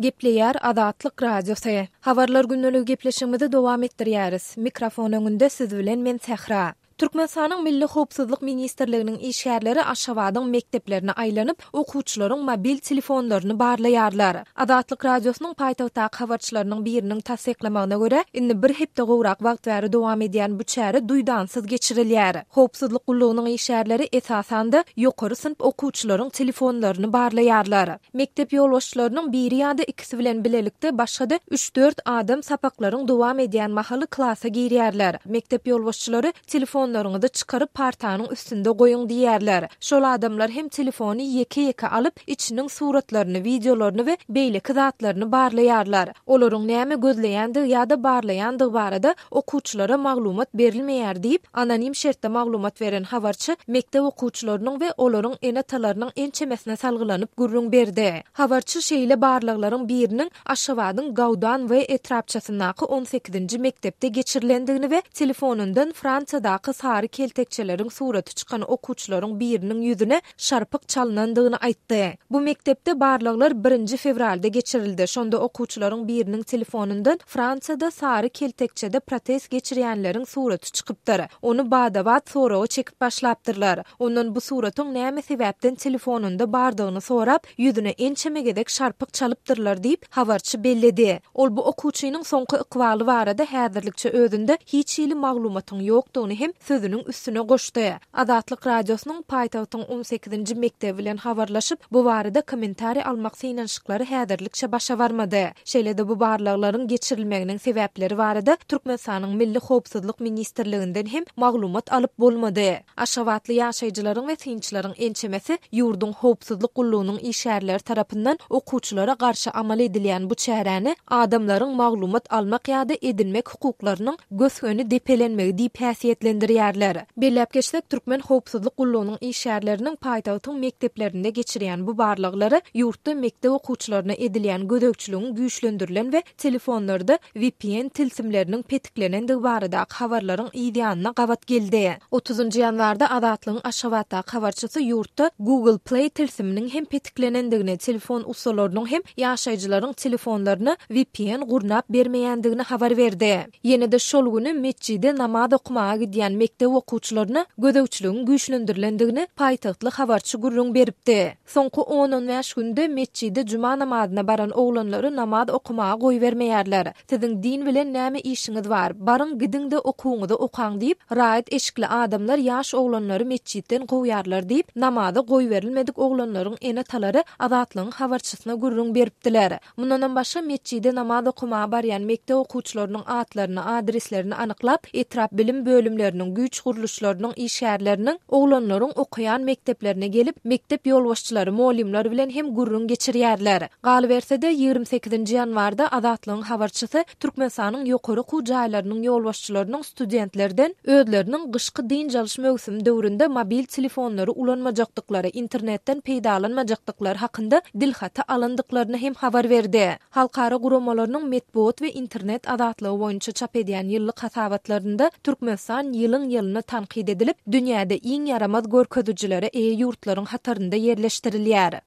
Gepleýär Azatlyk Radiosy. Habarlar gündeligi gepleşigimizi dowam etdirýäris. Mikrofon öňünde siz bilen men Sähra. Türkmenistanyň Milli howpsuzlyk ministrliginiň işgärleri Aşgabadyň mekdeplerine aýlanyp, okuwçylaryň mobil telefonlaryny barlaýarlar. Azatlyk Radiosynyň paýtagtdaky habarçylarynyň biriniň tassyklamagyna görä, indi bir hepde gowrak wagt bäri dowam edýän bu çäre duýdansyz geçirilýär. Howpsuzlyk gullugynyň işgärleri, esasan-da, ýokary synp okuwçylaryň telefonlaryny barlaýarlar. Mekdep ýolbaşçylarynyň biri ýa-da ikisi bilen bilelikde başga-da üç-dört adam sapaklaryň dowam edýän mahaly klasa girýärler. Mekdep ýolbaşçylary Telefonlaryňyzy çykaryp partanyň üstünde goýuň diýýärler. Şol adamlar hem telefony ýeke-ýeke alyp, içiniň suratlaryny, wideolaryny we beýleki zatlaryny barlaýarlar. Olaryň näme gözleýändigi ýa-da barlaýandygy barada okuwçylara maglumat berilmeýär diýip, anonim şertde maglumat beren habarçy mekdep okuwçylarynyň we olaryň ene-atalarynyň ençemesine salgylanyp gürrüň berdi. Habarçy şeýle barlaglaryň biriniň Aşgabadyň Gaudan We etrapçasyndaky on sekizinji mekdepde geçirilendigini we telefonyndan Fransiýadaky sary keltekçeleriň suraty çykan okuwçylaryň biriniň ýüzüne şarpyk çalnandygyny aýtdy. Bu mekdepde barlaglar birinji fewralda geçirildi, şonda okuwçylaryň biriniň telefonyndan Fransiýada sary keltekçede protest geçirýänleriň suraty çykypdyr. Ony bada-bat soraga çekip başlapdyrlar. Ondan bu suratyň näme sebäpden telefonynda bardygyny sorap, ýüzüne ençeme gezek şarpyk çalypdyrlar diýip, habarçy belledi. Ol bu okuwçynyň soňky ykbaly barada häzirlikçe özünde hiç hili maglumatyň ýokdugyny hem sözüniň üstüne goşdy. Azatlyk Radiosynyň paýtagtyň on sekizinji mekdebi bilen habarlaşyp, bu barada kommentariý almak synanyşyklary häzirlikçe başa barmady. Şeýle-de bu barlaglaryň geçirilmeginiň sebäpleri barada Türkmenistanyň Milli howpsuzlyk ministrliginden hem maglumat alyp bolmady. Aşgabatly ýaşaýjylaryň we synçylaryň ençemesi ýurduň howpsuzlyk gullugynyň işgärleri tarapyndan okuwçylara garşy amal edilýän bu çäräni adamlaryň maglumat almak ýa-da edinmek hukuklarynyň gös-göni depelenmegi diýip häsiýetlendirýärler. Belläp geçsek, türkmen howpsuzlyk gullugynyň işgärleriniň paýtagtyň mekdeplerinde geçirýän bu barlaglary ýurtda mekdep okuwçylaryna edilýän gözegçiligiň güýçlendirilen we telefonlarda vpn tilsimleriniň petiklenendigi baradaky habarlaryň yz ýanyna gabat geldi. Otuzynjy ýanwarda Azatlygyň Aşgabatdaky habarçysy ýurtda Google Play tilsiminiň hem petiklenendigini, telefon ussalarynyň hem ýaşaýjylaryň telefonlaryna vpn gurnap bermeýändigini habar berdi. Ýene-de şol güni metjide namaz okamaga gidýän mekdep okuwçylaryna gözegçiligiň güýçlendirilendigini paýtagtly habarçy gürrüň beripdi. Soňky on-on bäş günde metjide juma namazyna baran oglanlary namaz okamaga goýbermeýärler. Siziň din bilen näme işiňiz bar? Baryň gidiň-de okuwyňyzy okaň diýip, raýat eşikli adamlar ýaş oglanlary metjitden kowýarlar diýip, namaza goýberilmedik oglanlaryň ene-atalary Azatlygyň habarçysyna gürrüň beripdiler. Mundanam başga metjide namaz okamaga barýan mekdep okuwçylarynyň atlaryny, adreslerini anyklap, etrap bilim bölümleriniň, güýç gurluşlarynyň işgärleriniň oglanlaryň okaýan mekdeplerine gelip, mekdep ýolbaşçylary, mugallymlar bilen hem gürrüň geçirýärler. Galyberse-de, 28-nji ýanwarda Azatlygyň habarçysy Türkmenistanyň ýokary okuw jaýlarynyň ýolbaşçylarynyň studentlerden özleriniň gyşky dynç alyş möwsümi döwründe mobil telefonlary ulanmajakdyklary, internetden peýdalanmajakdyklary hakynda dilhaty alandyklaryny hem habar berdi. Halkara guramalarynyň metbugat we internet azatlygy boýunça çap edýän ýyllyk hasabatlarynda Türkmenistan ýylyň-ýylyna tankyt edilip, dünýäde iň ýaramaz görkezijilere eýe ýurtlaryň hatarynda ýerleşdirilýär.